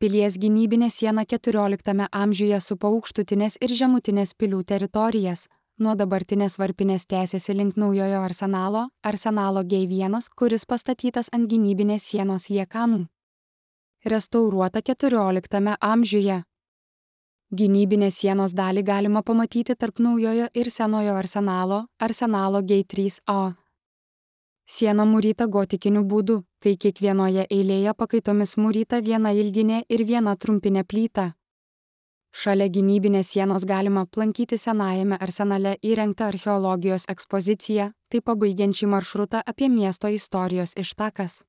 Pilies gynybinė siena 14 amžiuje supa aukštutinės ir žemutinės pilių teritorijas. Nuo dabartinės varpinės tęsiasi link naujojo arsenalo G1, kuris pastatytas ant gynybinės sienos liekanų. Restauruota 14 amžiuje. Gynybinės sienos dalį galima pamatyti tarp naujojo ir senojo arsenalo G3A. Siena mūryta gotikiniu būdu, kai kiekvienoje eilėje pakaitomis mūryta viena ilginė ir viena trumpinė plyta. Šalia gynybinės sienos galima aplankyti senajame arsenale įrengtą archeologijos ekspoziciją, tai pabaigiant šį maršrutą apie miesto istorijos ištakas.